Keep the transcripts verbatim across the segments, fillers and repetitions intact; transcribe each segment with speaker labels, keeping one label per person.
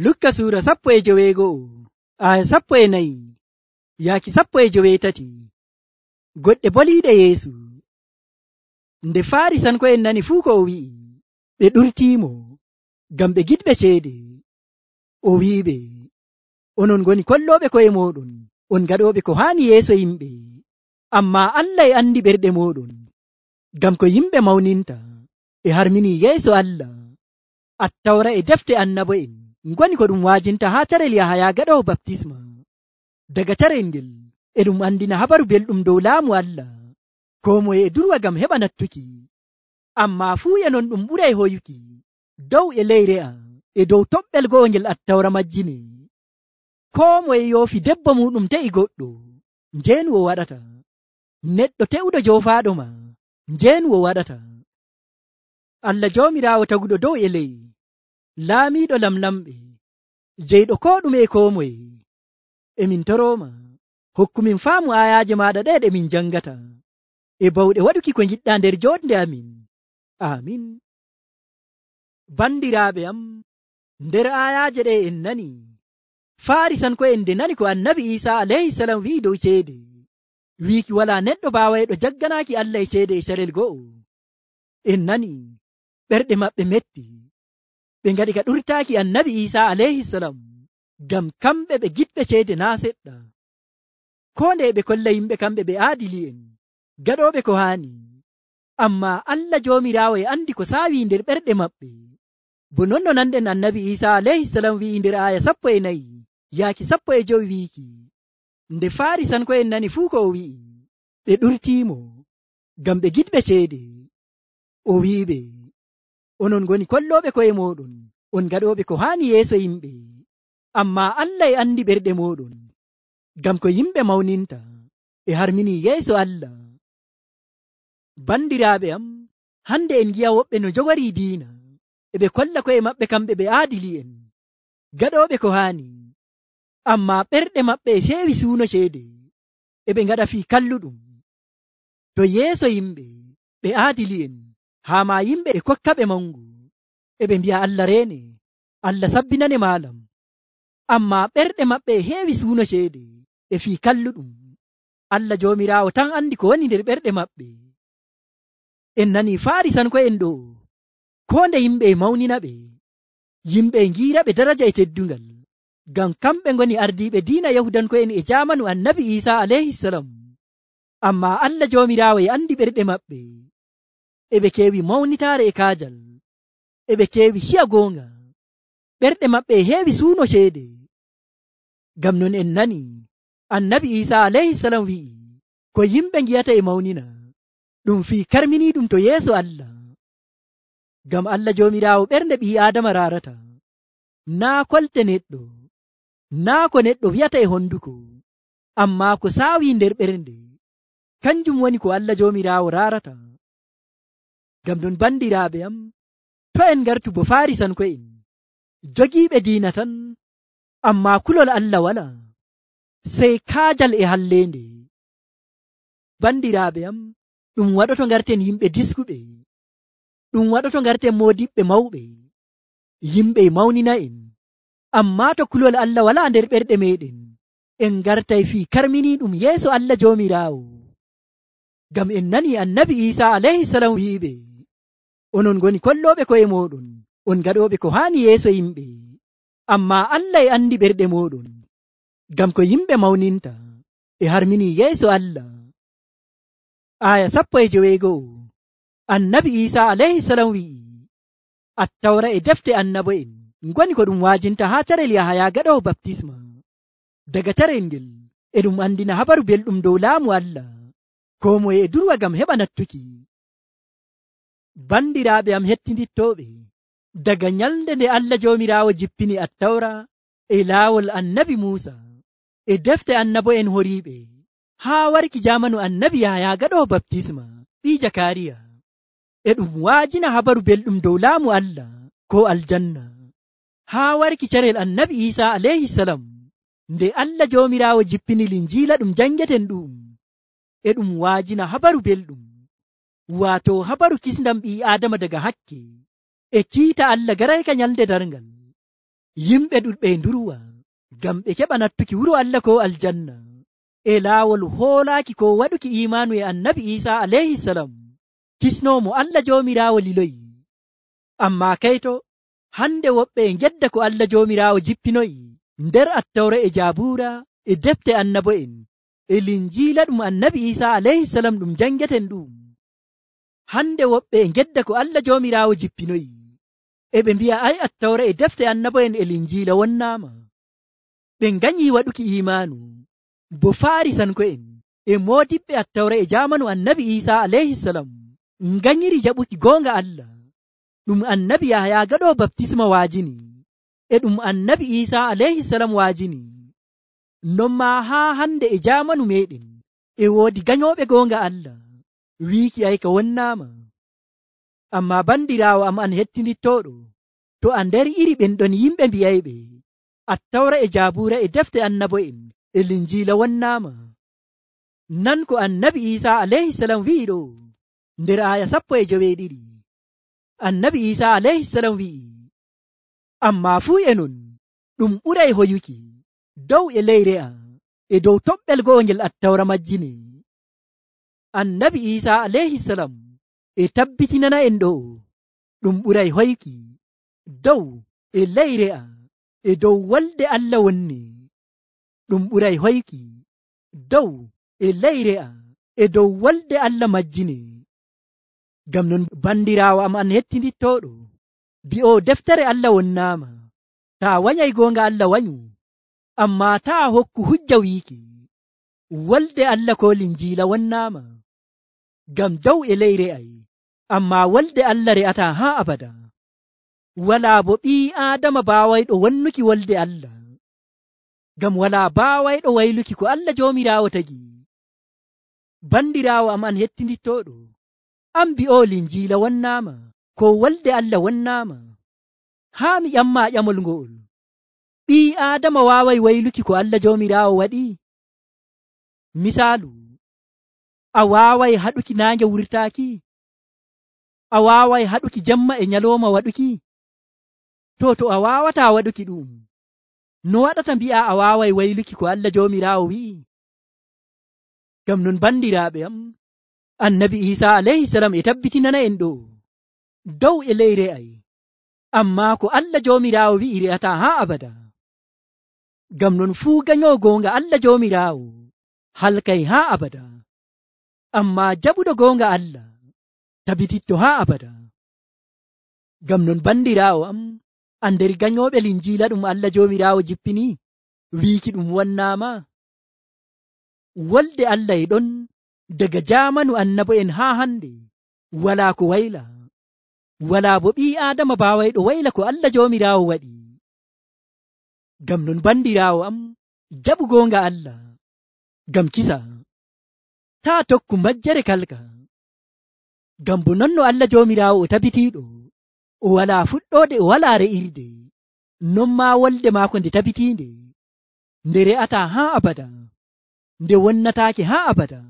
Speaker 1: Lukka suura sappo e joweego'o aya sappo e nayi yaaki sappo e joweetati. Goɗɗe boliiɗe Yeesu. Nde Faarisanko'en nani fuu ko o wi'i, ɓe ɗurtiimo ngam ɓe giɗɓe ceede. O wi'iɓe, onon ngoni kollooɓe ko'e mooɗon, on gaɗooɓe ko haani yeeso yimɓe, ammaa Allah e andi ɓerɗe mooɗon, ngam ko yimɓe mawninta e harminii yeeso Allah. Attawra e defte annabo'en ngoni ko ɗum waajinta haa carel Yahaya gaɗoowo baptisma. Daga carel ngel e ɗum andina habaru belɗum dow laamu Allah. Koo moye e durwa ngam heɓa nattuki, ammaa fuu e non ɗum ɓuray hoyuki dow e ley re'a e dow toɓɓel go'o ngel attawra majjine. Koo moye yoofi debbo muɗum te'i goɗɗo, njeenu o waɗata. Neɗɗo te'uɗo joofaaɗo ma, njeenu o waɗata. Allah Joomiraawo taguɗo dow e ley, laamiiɗo lamlamɓe, jeyɗo koo ɗume e koo moye, emin torooma hokkumin faamu aayaaje maaɗa ɗe ɗe min jangata, e bawɗe waɗuki ko ngiɗɗaa nder jooɗnde amin. Amin. Bandiraaɓe am, nder aayaaje ɗe en nani Faarisanko'en nde nani ko annabi Iisaa alayhisalam wi'i dow ceede, wiiki walaa neɗɗo baawayɗo jagganaaki Allah e ceede e carel go'o. En nani ɓerɗe maɓɓe metti, ɓe ngaɗi ka ɗurtaaki annabi Iisaa alayhisalam, ngam kamɓe ɓe giɗɓe ceede naa seɗɗa. Koo nde ɓe kolla yimɓe kamɓe ɓe aadili'en, gaɗooɓe ko haani, ammaa Allah Joomiraawo e andi ko saawi nder ɓerɗe maɓɓe. Bo non no nanɗen annabi Iisaa alayhisalam wi'i nder aaya sappo e nayi yaaki sappo e jowi wiiki, nde Faarisanko'en nani fuu ko o wi'i, ɓe ɗurtiimo ngam ɓe giɗɓe ceede. O wi'iɓe, onon ngoni kollooɓe ko'e mooɗon, on gaɗooɓe ko haani yeeso yimɓe, ammaa Allah e andi ɓerɗe mooɗon, ngam ko yimɓe mawninta e harminii yeeso Allah. Bandiraaɓe am, hande en ngi'a woɓɓe no jogorii diina, e ɓe kolla ko'e maɓɓe kamɓe ɓe aadili'en, gaɗooɓe ko haani, ammaa ɓerɗe maɓɓe e heewi suuno ceede, e ɓe ngaɗa fii kalluɗum. To yeeso yimɓe ɓe aadili'en, haa ma yimɓe e kokka ɓe mangu, e ɓe mbi'a Allah reene, Allah sabbinane maalam, ammaa ɓerɗe maɓɓe e heewi suuno ceede e fii kalluɗum. Allah Joomiraawo tan andi ko woni nder ɓerɗe maɓɓe. En nanii Faarisanko'en ɗo, koo nde yimɓe e mawnina ɓe, yimɓe e ngiira ɓe daraja e teddungal, ngam kamɓe ngoni ardiiɓe diina Yahudanko'en e jaamanu annabi Iisaa alayhisalam. Ammaa Allah Joomiraawo e andi ɓerɗe maɓɓe, e ɓe keewi mawnitaare e kaajal, e ɓe keewi ciya goonga, ɓerɗe maɓɓe e heewi suuno ceede. Ngam non en nani annabi Iisaa alayhisalam wi'i, ko yimɓe ngiyata e mawnina, ɗum fii karminii ɗum to yeeso Allah. Ngam Allah Joomiraawo ɓernde ɓii Aadama raarata, naa kolte neɗɗo, naa ko neɗɗo wi'ata e honduko, ammaa ko saawi nder ɓernde, kanjum woni ko Allah Joomiraawo raarata. Ngam non bandiraaɓe am, to en ngartu bo Faarisanko'en, jogiiɓe diina tan, ammaa kulol Allah wala, sey kaajal e halleende. Bandiraaɓe am, ɗum waɗoto ngarten yimɓe diskuɓe, ɗum waɗoto ngarten moodiɓɓe mawɓe, yimɓe mawnina en, ammaa to kulol Allah wala nder ɓerɗe meɗen, en ngartay fii karminii ɗum yeeso Allah Joomiraawo. Ngam en nani annabi Iisaa alayhisalam wi'iɓe, onon ngoni kollooɓe ko'e mooɗon, on gaɗooɓe ko haani yeeso yimɓe, ammaa Allah e andi ɓerɗe mooɗon, ngam ko yimɓe mawninta e harminii yeeso Allah. Aya sappo e joweego'o, annabi Iisaa alayhisalam wi'i, attawra e defte annabo'en ngoni ko ɗum waajinta haa carel Yahaya gaɗoowo baptisma. Daga carel ngel e ɗum andina habaru belɗum dow laamu Allah, koo moye e durwa ngam heɓa nattuki. Bandiraaɓe am hettindittooɓe, daga nyalnde nde Allah Joomiraawo jippini attawra e laawol annabi Muusa e defte annabo'en horiiɓe, haa warki jaamanu annabi Yahaya gaɗoowo baptisma ɓii Jakariya, e ɗum waajina habaru belɗum dow laamu Allah ko aljanna, haa warki carel annabi Iisaa alayhisalam, nde Allah Joomiraawo jippini linjiila ɗum jangeten ɗum, e ɗum waajina habaru belɗum, waato habaru kisndam ɓii Aadama daga hakke, e kiita Allah garayka nyalde darngal, yimɓe ɗuɗɓe ndurwa ngam ɓe keɓa nattuki wuro Allah ko aljanna e laawol hoolaaki ko waɗuki imaanu e annabi Isa alayhi salam kisnoomo Allah joomiraawo liloyi. Ammaa kayto hande woɓɓe e gedda ko Allah joomiraawo jippinoyi nder attawra e jaabuura e defte annabo'en e linjiila ɗum annabi Isa alayhi salam ɗum jangeten ɗum. Hande woɓɓe e gedda ko Allah joomiraawo jippinoyi e ɓe mbi'a ay attawra e defte annabo'en e linjiila wonnaama. Ɓe nganyii waɗuki imaanu bo Faarisanko'en e moodiɓɓe attawra e jaamanu annabi Isa alayhi salam nganyiri jaɓuki goonga Allah ɗum annabi Yahaya gaɗo baptisma waajini e ɗum annabi Isa alayhi salam waajini. Non maa haa hande e jaamanu meɗen e woodi ganyoɓe goonga Allah wiiki ay ka wonnaama. Ammaa bandiraawo am an hettinittooɗo, to a nder iri ɓen ɗon yimɓe mbi'ayɓe attawra e jaabuura e defte annabo'en e linjiila wonnaama, nan ko annabi Isa alayhi salam wi'i ɗo nder aya sappo e joweeɗiɗi. Annabi Isa alayhi salam wi'i, ammaa fuu e non ɗum ɓuray hoyuki dow e leyre a e dow toɓɓel go'ongel attawra majjine. Annabi Isa alayhi salam e tabbitinana en ɗo ɗum ɓuray hoyuki dow e leyre a e dow wolde Allah wonni. Ɗum ɓuray hoyuki dow e leyre a e dow wolde Allah majjine. Ngam non bandiraawo am an hettinittooɗo, bi'o deftere Allah wonnaama, taa wanyay goonga Allah wanyu, ammaa taa hokku hujja wiiki wolde Allah ko linjiila wonnaama. Ngam dow e leyre ay, ammaa wolde Allah re'ataa haa abada. Walaa bo ɓii Aadama baawayɗo wonnuki wolde Allah, ngam walaa baawayɗo wayluki ko Allah joomiraawo tagi. Bandiraawo am an hettinittooɗo, am bi'o linjiila wonnaama ko wolde Allah wonnaama. Haa mi ƴammaa ƴamol ngo'ol, ɓii Aadama waaway wayluki ko Allah joomiraawo waɗi? Misaalu, a waaway haɗuki naange wurtaaki? A waaway haɗuki jemma e nyalooma waɗuki? To to a waawataa waɗuki ɗum, no waɗata mbi'a a waaway wayluki ko Allah joomiraawo wi'i? Ngam non bandiraaɓe am, annabi Isa alayhi salam e tabbitinana en ɗo dow e leyre ay, ammaa ko Allah joomiraawo wi'i re'ataa haa abada. Ngam non fuu ganyo goonga Allah joomiraawo halkay haa abada, ammaa jaɓuɗo goonga Allah tabititto haa abada. Ngam non bandiraawo am, a nder ganyooɓe linjiila ɗum Allah joomiraawo jippini wiiki ɗum wonnaama. Wolde Allah e ɗon daga jaamanu annabo'en haa hande, walaa ko wayla, walaa bo ɓii Aadama baawayɗo wayla ko Allah joomiraawo waɗi. Ngam non bandiraawo am, jaɓu goonga Allah ngam kisa, taa tokku majjere kalka. Ngam bo non no Allah joomiraawo o tabitiiɗo, o walaa fuɗɗoode, o walaa re'irde, non maa wolde maako nde tabitiinde, nde re'ataa haa abada, nde wonnataake haa abada.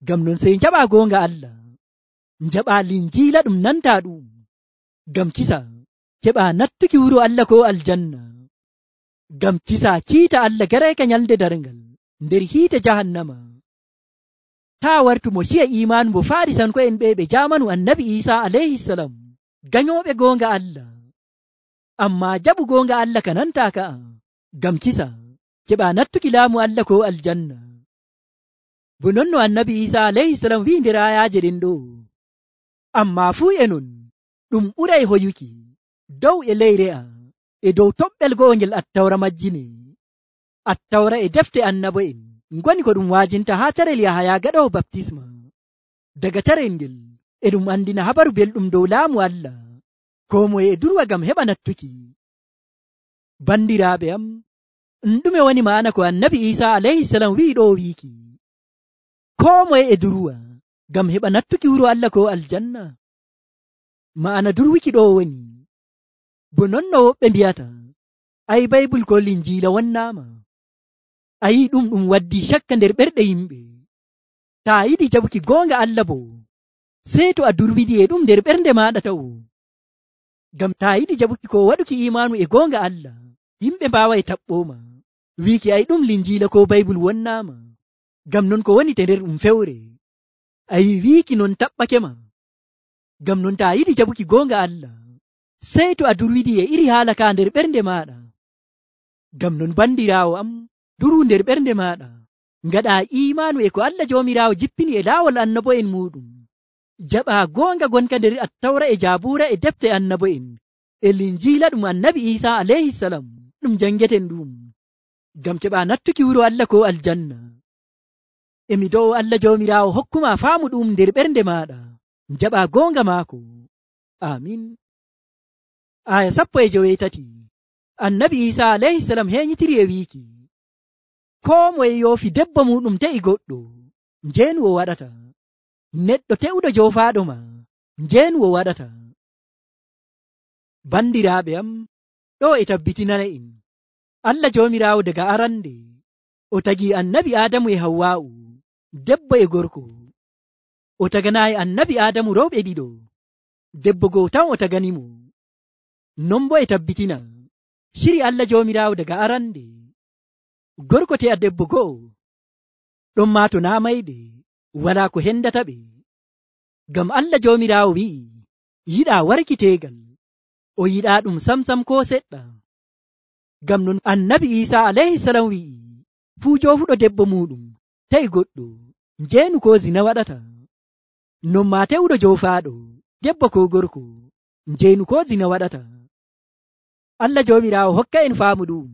Speaker 1: Ngam non sey njaɓaa goonga Allah, njaɓaa linjiila ɗum nantaa ɗum, ngam kisa keɓaa nattuki wuro Allah ko aljanna. Ngam kisa kiita Allah garayka nyalde darngal nder hiite jahannama. Taa wartu mo siya imaanu mo Faarisanko'en ɓe ɓe jaamanu annabi Isa alayhi salam, ganyooɓe goonga Allah, ammaa jaɓu goonga Allah ka nantaa ka'a, ngam kisa keɓaa nattuki laamu Allah ko aljanna. Bo non no annabi Isa alayhi salam wi'i nder ayaaje ɗen ɗo, ammaa fuu e non ɗum ɓuray hoyuki dow e leyre a e dow toɓɓel go'ongel attawra majjine. Attawra e defte annabo'en ngoni ko ɗum waajinta haa carel Yahaya gaɗowo baptisma. Daga carel ngel e ɗum andina habaru belɗum dow laamu Allah, ko moye e durwa ngam heɓa nattuki. Bandiraaɓe am, ɗume woni ma'ana ko annabi Isa alayhi salam wi'i ɗo wiiki ko moye e durwa ngam heɓa nattuki wuro Allah ko aljanna? Ma'ana durwiki ɗo woni bo non no woɓɓe mbiyata ay baybul ko linjiila wonnaama. Ayi ɗum ɗum waddi cakka nder ɓerɗe yimɓe. Taa yiɗi jaɓuki goonga Allah bo, sey to a durwidi e ɗum nder ɓernde maaɗa taw. Ngam taa yiɗi jaɓuki ko waɗuki imanu e goonga Allah, yimɓe mbaaway taɓɓooma wiiki ay ɗum linjiila ko baybul wonnaama. Ngam non ko woni te nder ɗum fewre. Ayi wiiki non taɓɓakema. Ngam non taa yiɗi jaɓuki goonga Allah, sey to a durwidi e iri haala ka nder ɓernde maaɗa. Ngam non bandiraawo am, duruu nder ɓernde maaɗa, ngaɗa imanu e ko Allah Joomiraawo jippini e laawol annabo'en muɗum. Jaɓaa goonga gonka nder Attawra e Jaabuura e defte annabo'en e linjiila ɗum annabi Iisaa alayhi salam ɗum jangeten ɗum. Ngam keɓaa nattuki wuro Allah ko aljanna. Emi do'o Allah Joomiraawo hokkuma faamu ɗum nder ɓernde maaɗa. Jaɓaa goonga maako. Amin. Aya sappo e joweetati. Annabi Iisaa alayhi salam heñitiri e wiiki, koo moye yoofi debbo muɗum te'i goɗɗo, njeenu o waɗata. Neɗɗo te'uɗo joofaaɗo ma, njeenu o waɗata. Bandiraaɓe am, ɗo e tabbitinana en, Allah Joomiraawo daga arande, o tagii annabi Aadamu e Hawwaa'u, debbo e gorko. O taganaayi annabi Aadamu rewɓe ɗiɗo, debbo goo tan o taganimo. Non bo e tabbitina, shiri Allah Joomiraawo daga arande, gorko te'a debbo go'o, ɗon maa to naa mayde, walaa ko hendata ɓe. Ngam Allah Joomiraawo wi'i, yiɗaa warkiteegal, o yiɗaa ɗum samsam ko seɗɗa. Ngam non annabi Iisaa alayhi salam wi'i, fuu joofuɗo debbo muɗum ta'i goɗɗo, njeenu ko zina waɗata. Non maa te'uɗo joofaaɗo debbo ko gorko, njeenu ko zina waɗata. Allah Joomiraawo hokka en faamu ɗum.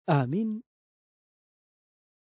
Speaker 1: Amin.